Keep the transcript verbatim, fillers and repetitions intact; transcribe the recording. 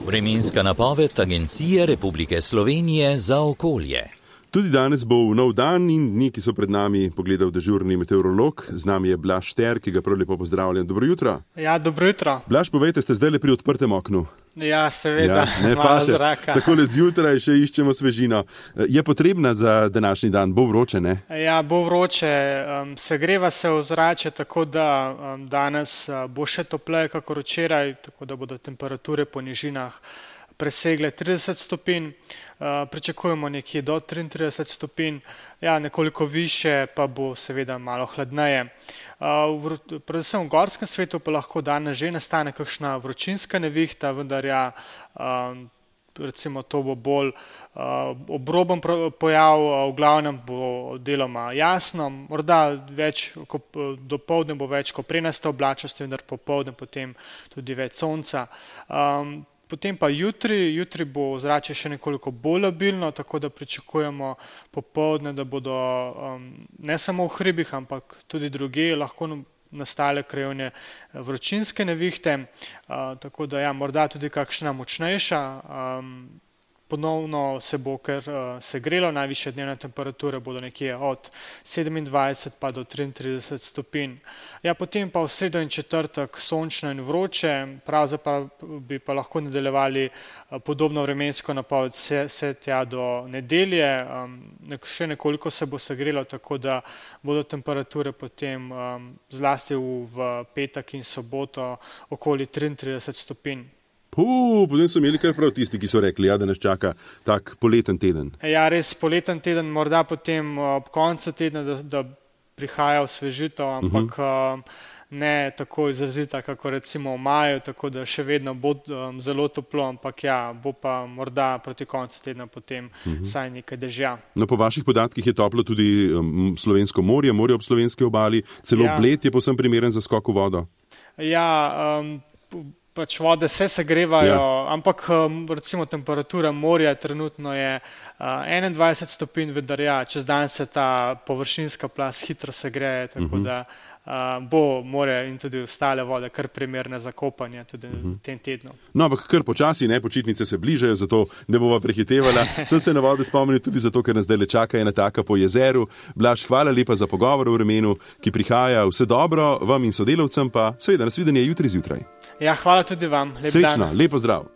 Vremenska napoved Agencije Republike Slovenije za okolje. Tudi danes bo v nov dan in dni, ki so pred nami, pogledal dežurni meteorolog. Z nami je Blaž Šter, ki ga prav lepo pozdravljam. Dobro jutro. Ja, dobro jutro. Blaž, povejte, ste zdaj le pri odprtem oknu? Ja, seveda, ja, ne, malo zraka. Takole zjutraj še iščemo svežino. Je potrebna za današnji dan? Bo vroče, ne? Ja, bo vroče. Um, segreva se ozračje, tako da um, danes uh, bo še topleje kakor včeraj, tako da bodo temperature po nižinah presegle trideset stopinj, uh, pričakujemo nekje do triintrideset stopinj, ja, nekoliko više pa bo seveda malo hladneje. Uh, v, predvsem v gorskem svetu pa lahko danes že nastane kakšna vročinska nevihta, vendar ja, um, recimo to bo bolj uh, obroben pojav, uh, v glavnem bo deloma jasno, morda več, ko, dopoldne bo več koprenaste oblačnosti, vendar popoldne potem tudi več sonca. Um, Potem pa jutri, jutri bo ozračje še nekoliko bolj labilno, tako da pričakujemo popoldne, da bodo um, ne samo v hribih, ampak tudi drugje lahko nastale krajevne vročinske nevihte, uh, tako da ja, morda tudi kakšna močnejša. Um, Ponovno se bo kar uh, segrelo, najvišje dnevne temperature bodo nekje od sedemindvajset pa do triintrideset stopinj. Ja, potem pa v sredo in četrtek sončno in vroče, pravzaprav bi pa lahko nadaljevali uh, podobno vremensko napoved vse, vse tja do nedelje. Um, nek, še nekoliko se bo segrelo, tako da bodo temperature potem um, zlasti v, v petek in soboto okoli triintrideset stopinj. Puh, potem so imeli kar prav tisti, ki so rekli, ja, da nas čaka tak poleten teden. Ja, res poleten teden, morda potem ob koncu tedna, da, da prihaja osvežitev, ampak uh-huh. ne tako izrazita, kako recimo v maju, tako da še vedno bo um, zelo toplo, ampak ja, bo pa morda proti koncu tedna potem uh-huh. saj nekaj dežja. No, po vaših podatkih je toplo tudi um, slovensko morje, morje ob slovenski obali, celo ja. Bled je povsem primeren za skok v vodo. Ja, um, pač vode se segrevajo, ja. Ampak recimo temperatura morja trenutno je uh, enaindvajset stopinj, vendar ja, čez dan se ta površinska plast hitro segreje, tako uh-huh. da uh, bo morje in tudi ostale vode kar primerne za kopanje tudi uh-huh. v tem tednu. No, ampak kar počasi, ne, počitnice se bližajo, zato ne bova prehitevala. Sem se na vode spomnil tudi zato, ker nas zdaj le čaka ena taka po jezeru. Blaž, hvala lepa za pogovor v vremenu, ki prihaja. Vse dobro vam in sodelavcem, pa seveda nasvidenje jutri zjutraj. Ja, hvala tudi vam. Lep Srečno, dan. lep pozdrav.